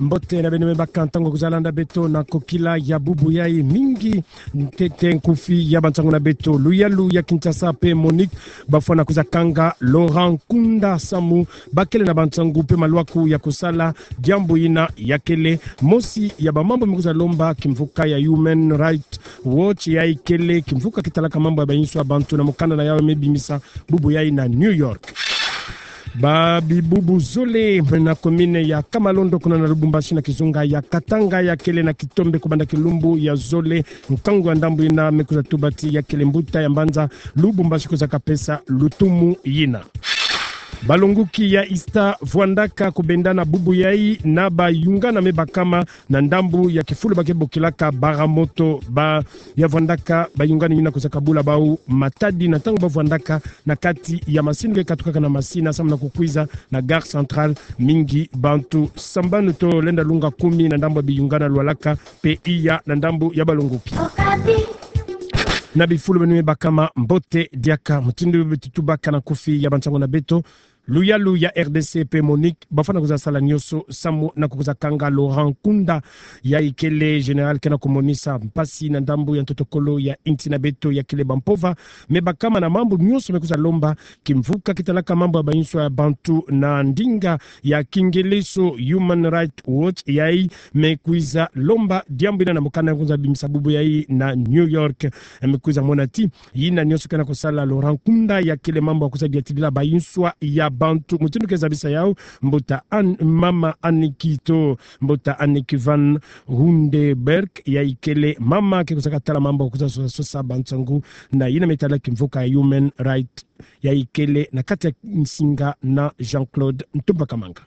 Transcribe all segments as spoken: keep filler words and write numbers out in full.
Mbote na beno me baka ntangu ya kwiza landa beto na kokila ya bubu yai. Mingi ntete nkufi ya bansangu na beto. Luyalu ya Kinshasa pe MONUC bafwana kwiza kanga Laurent Nkunda samu bakele na bansangu pe malwaku ya kusala diambu yina. Ya kele mosi ya bamambu me kwiza lomba kimvuka ya Human Rights Watch, yai kele kimvuka kitalaka mambu ya bayinswa bantu na mukanda na yau me bimisa bubu yai na New York. Babibubu zole na commune ya Kamalondo kuna na Lubumbashi na kizunga ya Katanga ya kele na kitombe kubanda kilumbu ya zole nkangu ya ndambu yina me kwiza tuba ti ya kele mbuta ya mbanza Lubumbashi kwiza kapesa lutumu yina. Balongoki ya ISTA vwandaka kubenda na bubu yai na bayungana me bakama na ndambu ya kifulu ba ke bokilaka Baramoto. Ba ya vwandaka bayungana yina kwiza kabula bau matadi na ntangu ba vwandaka na kati ya masini ke katukaka na masina samu na kukwiza na Gare Centrale. Mingi bantu sambanu. Tolenda lunga kumi na ndambu ya biyungana lwalaka pe iya na ndambu ya balongoki. Na bifulu beno me bakama, mbote diaka. Mutindu beto tubaka na nkufi ya bansangu na beto, luyalu ya RDC pe MONUC bafwana kwiza sala nionso samu na kukwiza kanga Laurent Nkunda, yai kele général ke na kumonisa mpasi na ndambu ya ntotokolo ya insi na beto. Ya kele bampova me bakama na mambu nionso me kwiza lomba kimvuka kitalaka mambu ya bayinswa ya bantu na ndinga ya kingeleso Human Rights Watch, yai me kwiza lomba diambu yina na mukanda ya kwiza bimisa bubu yai na New York. Me kwiza mona ti yina nionso ke na kusala Laurent Nkunda ya kele mambu ya kwiza diatidila bayinswa ya bantu. Mutindu ke zabisa yau, mbuta Anne, mama Anne Kito, mbuta Anne Kivan Hundeberg, yai kele mama ke kwiza katala mambu ya kwiza sosa, sosa bansangu na yina me tala kimvuka ya Human Rights, yai kele na kati ya nsinga na Jean-Claude Ntumba Kamanga.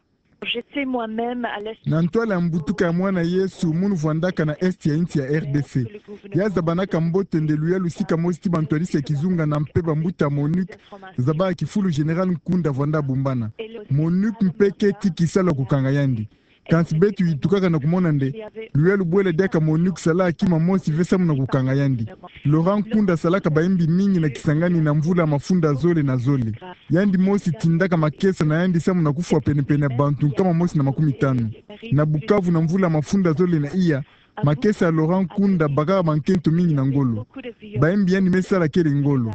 J'étais moi-même à l'est. Na ntwala ya mbutuka ya mwana Yesu, munu vwandaka na est ya insi ya RDC. Ya zabanaka mbote nde luyalu sika mosi ti bantwadisi ya kizunga na mpe bambuta MONUC, zaba ya kifulu général Nkunda vwanda bumbana. MONUC mpe keti kisalu ya kukanga yandi. Kansi beto yitukaka na kumona nde luyalu bwela diaka MONUC sala kima mosi ve samu na kukanga yandi. Laurent Nkunda salaka bayimbi mingi na Kisangani na mvula mafunda zole na zole. Yandi mosi tindaka makesa na yandi samu na kufwa penepene ya bantu nkama mosi na makumi tanu. Na Bukavu na mvula mafunda zole na iya, makesa ya Laurent Nkunda bakaka bankento mingi na ngolo. Bayimbi yandi me sala kele ngolo.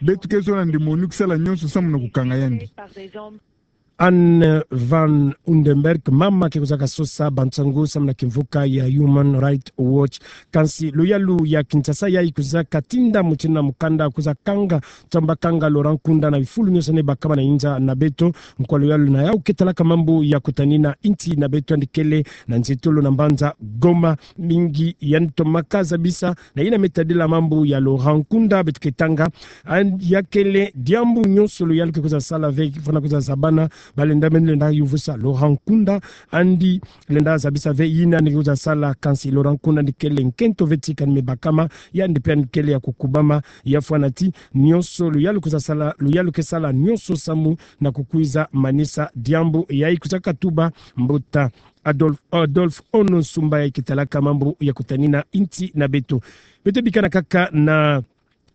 Beto ke zola nde MONUC sala nionso samu na kukanga yandi. Anne van Hundeberg, mama ke kwiza kasosa bansangu samu na kimvuka ya Human Rights Watch. Kansi luyalu ya Kinshasa yai kwiza katinda mutindu na mukanda kwiza kanga, tamba kanga Laurent Nkunda na bifulu nionso ne bakama na inza na beto. Nkwa luyalu na yau ke talaka mambu ya kutanina insi na beto yandi kele na nzitulu na mbanza Goma. Mingi yandi tomaka zabisa na yina me tadila mambu ya Laurent Nkunda, beto ke tanga. Yandi ya kele diambu nionso luyalu ke kwiza sala ve, fwana kwiza zabana, balenda me lenda yuvusa Laurent Nkunda, yandi lenda zabisa ve yina yandi ke kwiza sala. Kansi Laurent Nkunda yandi kele nkento ve ti kani me bakama, yandi pe yandi kele ya kukubama, ya fwana ti nionso luyalu kwiza sala, luyalu ke sala nionso samu na kukwiza manisa diambu yai. Kwiza katuba mbuta Adolphe, Adolphe Ono Nsumba yai ke talaka mambu ya kutanina insi na beto. Beto bikana kaka na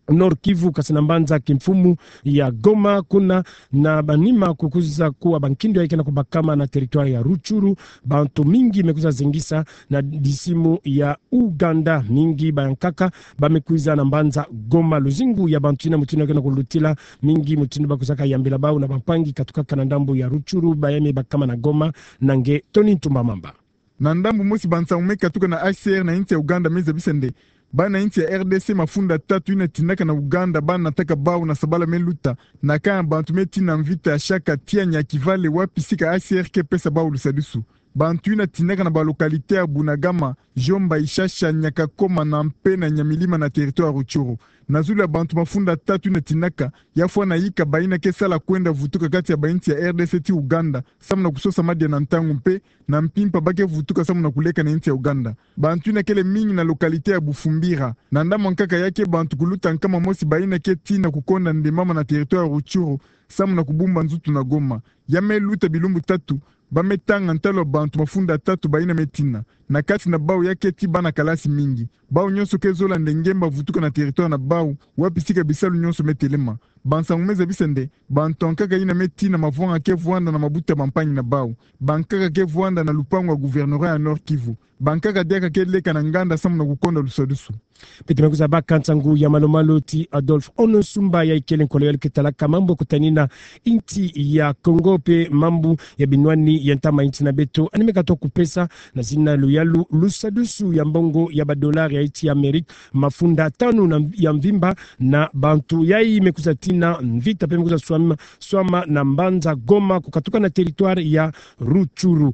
Nord-Kivu, kansi na mbanza kimfumu ya Goma, kuna na banima kukwiza kuwa bankindu yai ke na kubakama na territoire ya Rutshuru, bantu mingi me kwiza zengisa na disimu ya Ouganda. Mingi bayankaka ba me kwiza na mbanza Goma. Luzingu ya bantu yina mutindu ke na kulutila, mingi mutindu ba kwizaka yambila bau na bampangi katukaka na ndambu ya Rutshuru, bayame bakama na Goma. Na nge Tony Ntumba Mamba. Na ndambu mosi, bansangu me katuka na H C R na insi ya Ouganda me zabisa nde bana insi ya R D C mafunda tatu yina tindaka na Ouganda ba nataka bau na sabala me luta, na kâ ya bantu me tina mvita ya shaka, tia nya kivale, wapi sika H C R ke pesa bau lusadisu. Bantu yina tindaka na ba localité ya Bunagana, Djomba, Ishasha, Nyakakoma na mpe na Nyamilima na territoire Rutshuru. Na zulu ya bantu mafunda tatu yina tindaka, ya fwana yika bayina ke sala kwenda vutuka kati ya bainsi ya R D C ti Ouganda, samu na kusosa madia na ntangu mpe na mpimpa ba ke vutuka samu na kuleka na insi ya Ouganda. Bantu yina kele mingi na localité ya Bufumbira. Na ndambu nkaka ya ke bantu kuluta nkama mosi bayina ke tina kukonda ndembama na territoire Rutshuru, samu na kubumba nzutu na Goma. Ya me luta bilumbu tatu, ba me tanga ntalu ya bantu mafunda tatu bayina me tina. Na kati na bau ya ke ti bana kalasi mingi. Bau nyonso ke zola nde nge mba vutuka na territoire na bau, wapi sika bisalu nyonso me telema. Ba nsangu me zabisa nde, bantu ankaka yina me tina mavwanga ke vwanda na mabuta bampangi na bau. Bankaka ke vwanda na lupangu ya gouvernorat ya Nord-Kivu. Bankaka diaka ke leka na nganda samu na kukonda lusadusu. Beto me kwiza baka nsangu ya malu-malu ti Adolphe Ono Sumba, yayi kele nkolo ya luketa laka mambu kutanina insi ya Kongo pe mambu ya binwani ya ntama insi na beto. Yandi me katuka kupesa na zina luyalu lusadusu ya mbongo ya badolari ya insi ya Amerika mafunda tanu na, ya mvimba na bantu yayi me kwiza tina mvita pe me kwiza swama, swama na mbanza Goma kukatuka na territoire ya Rutshuru.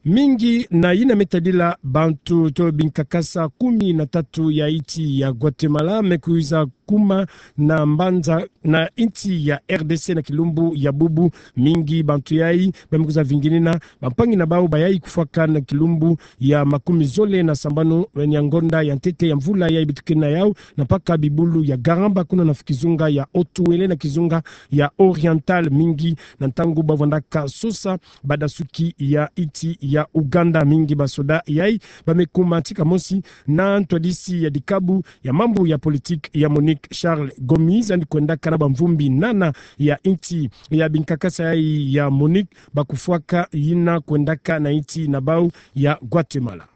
Mingi na yina me tadila bantu to binkakasa kumi na tatu ya insi ya Guatemala me kwiza kuma na mbanza na insi ya R D C na kilumbu ya bubu. Mingi bantu yayi ba me kwiza vinginina bampangi na bau bayayi kufwaka na kilumbu ya makumi zole na sambanu ya ngonda ya ntete ya mvula yayi bitukina yau, na mpaka bibulu ya Garamba kuna na kizunga ya Haut-Uele na kizunga ya Oriental. Mingi na ntangu ba vwandaka sosa badasuki ya insi ya Uganda. Mingi basoda yayi ba me kuma tika mosi na ntwadisi ya dikabu ya mambu ya politique ya MONUC Charles Gomis, yandi kwendaka na bamvumbi nana ya insi ya binkakasa yayi ya MONUC ba kufwaka yina kwendaka na insi na bau ya Guatemala.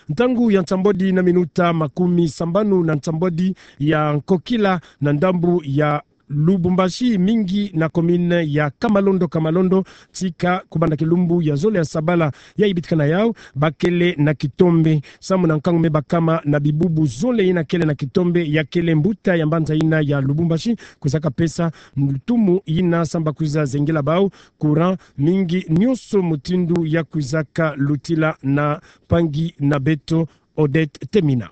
Ntangu ya nsambwadi na minuta makumi sambanu na nsambwadi ya nkokila na ndambu ya Lubumbashi, mingi na commune ya Kamalondo, Kamalondo, tika kubanda kilumbu ya zole ya sabala yayi bitukina yau, ba kele na kitombe. Samu na nkangu me bakama na bibubu zole yina kele na kitombe, ya kele mbuta ya mbanza yina ya Lubumbashi kwizaka pesa ntumu yina samu ba kwiza zengela bau courant. Mingi nyonso mutindu ya kwizaka lutila na mpangi na beto Odette Temina.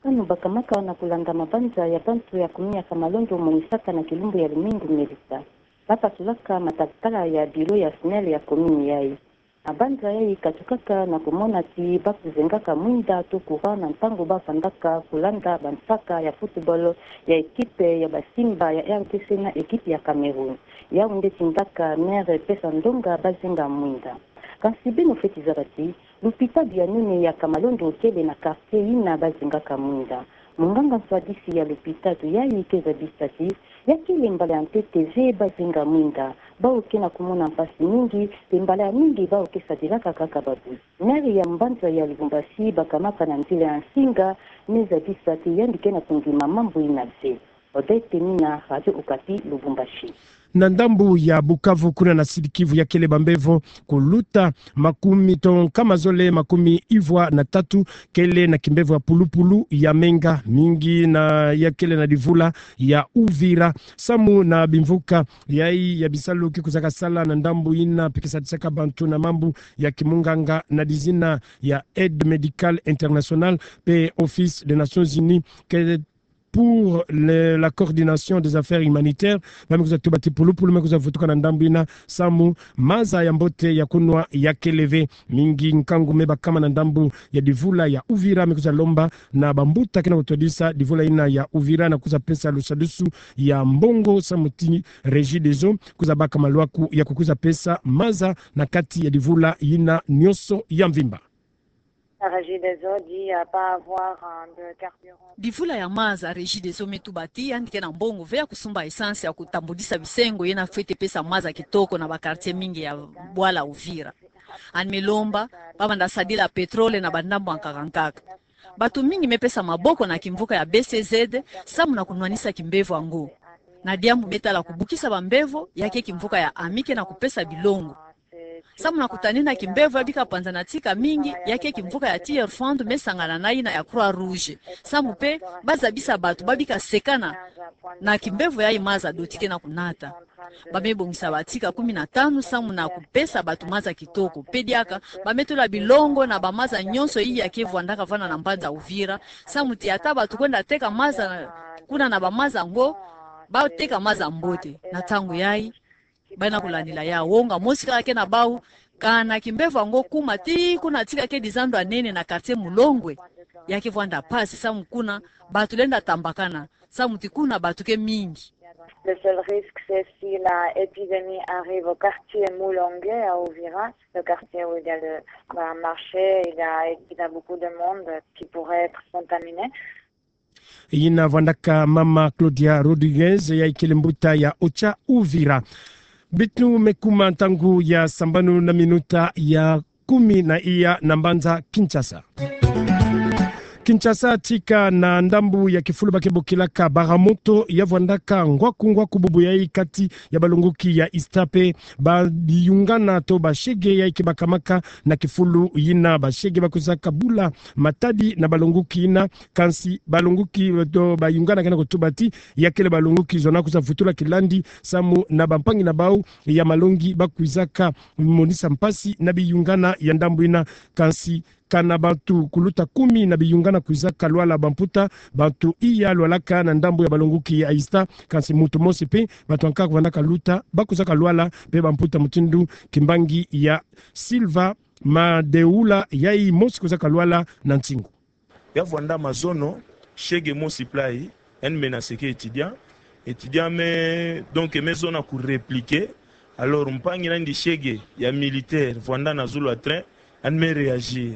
Kano bakamaka na kulanda mabanza ya bantu ya commune ya Kamalondo monisaka na kilumbu ya lumingu melita, ba pasulaka matalatala ya bureau ya SNEL ya commune yayi. Mabanza yayi katukaka na kumona ti ba kuzengaka mwinda to courant na ntangu ba fandaka kulanda bansaka ya football ya ekipe ya ba Simba ya R D C na ekipe ya Cameroun. Yau nde tindaka maire pesa ndonga ba zenga mwinda. Kansi beno fweti zaba ti lupitalu ya nene ya Kamalondo kele na quartier yina ba zengaka mwinda. Munganga nswadisi ya lupitalu yayi ke zabisa ti ya kele mbala ya ntete ve ba zenga mwinda, bau ke na kumona mpasi mingi, mpe mbala ya mingi bau ke sadilaka kaka babuzi. Maire ya mbanza ya Lubumbashi bakamaka na nzila ya nsinga me zabisa ti yandi ke na kundima mambu yina ve. Odette Temina, Radio Okapi, Lubumbashi. Na ndambu ya Bukavu, kuna na Sud-Kivu, ya kele bambevo kuluta makumi to nkama zole makumi ivwa na tatu, kele na kimbevo ya pulupulu ya menga mingi na ya kele na divula ya Uvira. Samu na bimvuka yayi ya bisalu ke kwizaka sala na ndambu yina mpe ke sadisaka bantu na mambu ya kimunganga na dizina ya Aide Médicale Internationale mpe Office des Nations Unies ke pour le, la coordination des affaires humanitaires, ba me kwiza tuba ti pulupulu me kwiza vutuka na ndambu yina samu maza ya mbote ya kunwa ya kele ve. Mingi nkangu me bakama na ndambu ya divula ya Uvira me kwiza lomba na bambuta ke na kutwadisa divula yina ya Uvira na kwiza pesa lusadusu ya mbongo samu ti Regideso kwiza baka malwaku ya kukwiza pesa maza na kati ya divula yina nyonso ya mvimba. La Regideso dit, euh, pas avoir, euh, de carburant. Divula ya maza, Regideso me tuba ti yandi ke na mbongo ve ya kusumba essence ya kutambudisa bisengo yina fwete pesa maza kitoko na ba quartier mingi ya bwala Uvira. Yandi me lomba ba banda sadila pétrole na bandambu ankaka ankaka. Bantu mingi me pesa maboko na kimvuka ya B C Z samu na kunwanisa kimbevo yango. Na diambu me tala kubukisa bambevo, ya ke kimvuka ya ami ke na kupesa bilongo. Samu na kutanina kimbevo ya bika panzana tika mingi, ya ke kimvuka ya Tiers-Fonds me sangana na yina ya Croix-Rouge. Samu mpe ba zabisa bantu ba bika sekana na kimbevo yayi maza doti ke na kunata. Ba me bongisa ba tika kumi na tanu samu na kupesa bantu maza kitoko. Mpe diaka, ba me tula bilongo na bamaza nyonso yi ya ke vwandaka vanda na mbanza Uvira. Samu ti ata bantu kwenda teka maza kuna na bamaza yango, ba teka maza mbote. Na ntangu yayi, ba na kulandila ya wonga mosi kaka ke na bau, kana kimbevo yango kuma ti kuna tika kedi zandu ya nene na quartier Mulongwe. Ya ke vwanda mpasi samu kuna bantu lenda tambakana, samu ti kuna bantu ke mingi. Le seul risque, c'est si la épidémie arrive au quartier Mulongwe à Uvira, le quartier où il y a le, bah, marché, il y a, il y a beaucoup de monde qui pourrait être contaminé. Yina vwandaka mama Claudia Rodrigues, yayi kele mbuta ya Ocha Uvira. Bitinu me kuma ntangu ya sambanu na minuta ya kumi na iya na mbanza Kinshasa. Kinshasa, tika na ndambu ya kifulu ba ke bokilaka Baramoto, ya vwandaka ngwaku ngwaku bubu yayi kati ya balongoki ya ISTA pe babiyungana to bashege yayi ke bakamaka na kifulu yina. Bashege ba kwizaka bula matadi na balongoki yina, kansi balongoki to bayungana kena kotuba ti ya kele balongoki zona kwiza vutula kilandi samu na bampangi na bau ya malongi ba kwizaka monisa mpasi na biyungana ya ndambu yina. Kansi kana bantu kuluta kumi na biyungana kwizaka lwala bamputa, bantu iya lwalaka na ndambu ya balongoki ya ISTA, kansi muntu mosi pe, bantu ankaka vwandaka luta, ba kwizaka lwala pe bamputa mutindu kimbangi ya Silva Madeula, yayi mosi kwizaka lwala na nsingu. Ya vwanda mazono, shege mosi playi, yandi menaceke étudiant. Étudiant me, donc, me zona ku répliquer. Alors, mpangi nandi shege ya militaire, vwanda na zulu ya train, yandi me réagir.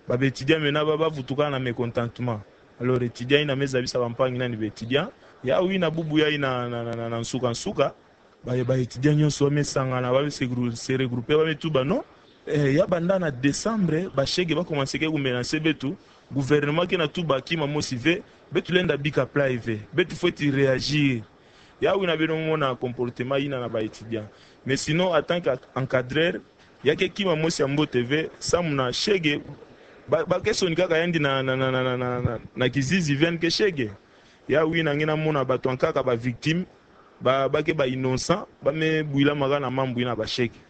Ba, ba étudiant me na ba, ba vutuka na mécontentement. Alors, étudiant yina me zabisa bampangi nandi ba étudiant. Yawu yina bubu yayi na, na, na, na, na nsuka nsuka. Ba, ba étudiant nyonso ba me sangana, ba me se grou-, se regrouper, ba me tuba non. Eh, ya banda na décembre, bashege ba commenceke ku menacer beto, gouvernement ke na tuba kima mosi ve, beto lenda bika playi ve, beto fweti réagir. Yawu yina beno mona comportement yina na ba étudiant. Mais sinon, en tant qu'encadreur, ya ke kima mosi ya mbote ve, samu na shege, ba, ba ke sonika kaka yandi na, na, na kizizi ve yandi ke shege. Yawu yina nge na mona bantu ankaka ba victime, ba, ba ke ba innocent, ba me bwilamaka na mambu yina bashege.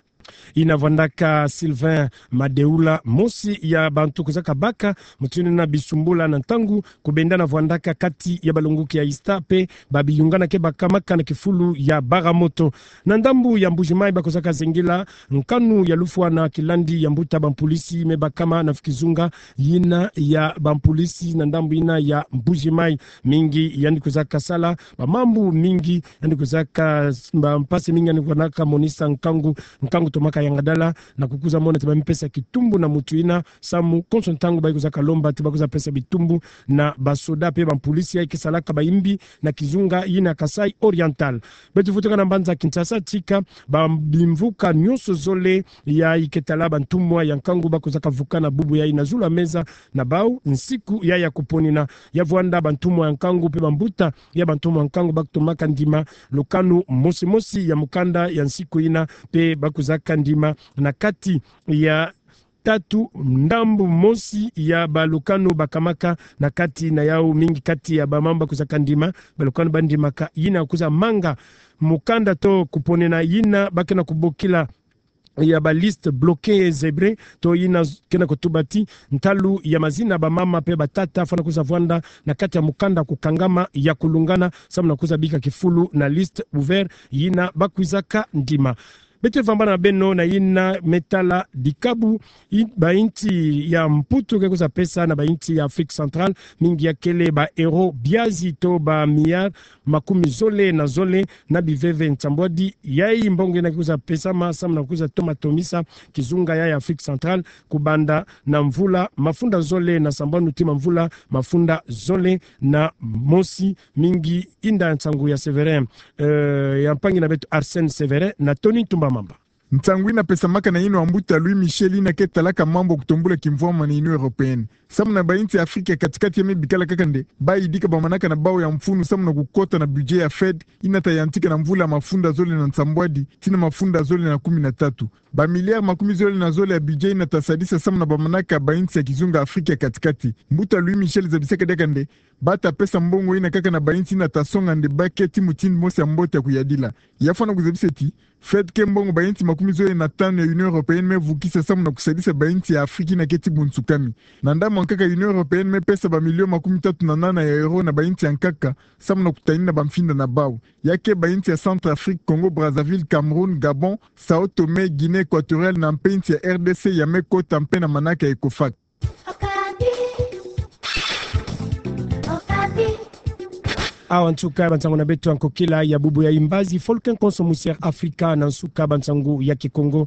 Yina vwandaka Sylvain Madeula, mosi ya bantu kwizaka baka mutindu yina bisumbula na ntangu ku benda na vwandaka kati ya balongoki ya ISTA pe babiyungana ke bakamaka na kifulu ya Baramoto. Na ndambu ya Mbuji-Mayi ba kwizaka zengela nkanu ya lufwa na kilandi ya mbuta bampulisi me bakama na kizunga yina ya bampulisi na ndambu yina ya Mbuji-Mayi. Mingi yandi kwizaka sala bamambu mingi, yandi kwizaka s-, bampasi mingi yandi kwizaka monisa nkangu, nkangu tomaka yangadala, na kukwiza mona ti ba me pesa kitumbu na mutu yina, samu konso ntangu ba kwizaka lomba ti ba kwiza pesa bitumbu na basoda pe bampulisi yayi ke salaka bayimbi na kizunga yina Kasaï Oriental. Beto vutuka na mbanza Kinshasa tika ba bimvuka nyonso zole yayi ke tala bantumwa ya nkangu ba kwizaka vuka na bubu yayi na zulu ya meza na bau nsiku yayi ya kuponina. Ya vwanda bantumwa ya nkangu pe bambuta ya bantumwa ya nkangu ba kutomaka ndima lukanu mosi mosi ya mukanda ya nsiku yina pe ba kwizaka ndima na kati ya tatu ndambu mosi ya balukanu bakamaka na kati na yawu mingi kati ya bamambu ba kwizaka ndima, balukanu ba ndimaka yina kwiza manga mukanda to kuponena yina ba ke na kubokila ya ba liste bloquée zébrée, to yina z-, ke na kutuba ti ntalu ya mazina bamama pe batata fwana kwiza vwanda na kati ya mukanda kukangama ya kulungana, samu na kwiza bika kifulu na liste ouverte yina ba kwizaka ndima. Beto vambana na beno na yina me tala dikabu, i-, ba insi ya Mputu ke kwiza pesa na ba insi ya Afrique Centrale, mingi ya kele ba euro biazi to ba milliard makumi zole na zole na biveve nsambwadi. Yayi mbongo yina ke kwiza pesama samu na kwiza toma tomisa kizunga yayi ya Afrique Centrale kubanda na mvula mafunda zole na sambanu tii mvula mafunda zole na mosi. Mingi inda nsangu ya Séverin, eh, ya mpangi na beto Arsène Séverin na Tony Ntumba Mamba. Nsangu yina pesamaka na yinwa ya mbuta Louis Michel yina ke talaka mambu ya kutombula kimvwama na Union Européenne. Samu na ba insi ya Afrika ya kati-kati ya me bikala kaka nde, ba yidika ba manaka na bau ya mfunu samu na kukota na budget ya Fed, yina ta yantika na mvula mafunda zole na nsambwadi tii na mafunda zole na kumi na tatu. Ba milliard makumi zole na zole ya budget yina ta sadisa samu na ba manaka ba insi ya kizunga Afrika ya kati-kati. Mbuta Louis Michel zabisaka diaka nde, ba ta pesa mbongo yina kaka na ba insi yina ta songa nde ba keti mutindu mosi ya mbote ya kuyadila. Ya fwana kuzabisa ti, Fed ke mbongo ba insi makumi zole na tanu ya Union Européenne me vukisa samu na kusadisa ba insi ya Afrika yina keti bunsukami. Na ndambu ya nkaka Union Européenne me pesa ba million makumi tatu na nana ya euro na ba insi ya nkaka, samu na kutanina ba mfinda na bau. Ya ke ba insi ya Centrafrique, Congo Brazzaville, Cameroun, Gabon, Sao Tome, Guinée Équatoriale na mpe insi ya R D C ya me kota mpe na manaka ya ECOFAC. Awa nsuka ya bansangu na beto ya nkokila ya bubu yayi, mbazi foluke nkonso musi ya Afrika na nsuka bansangu ya Kikongo.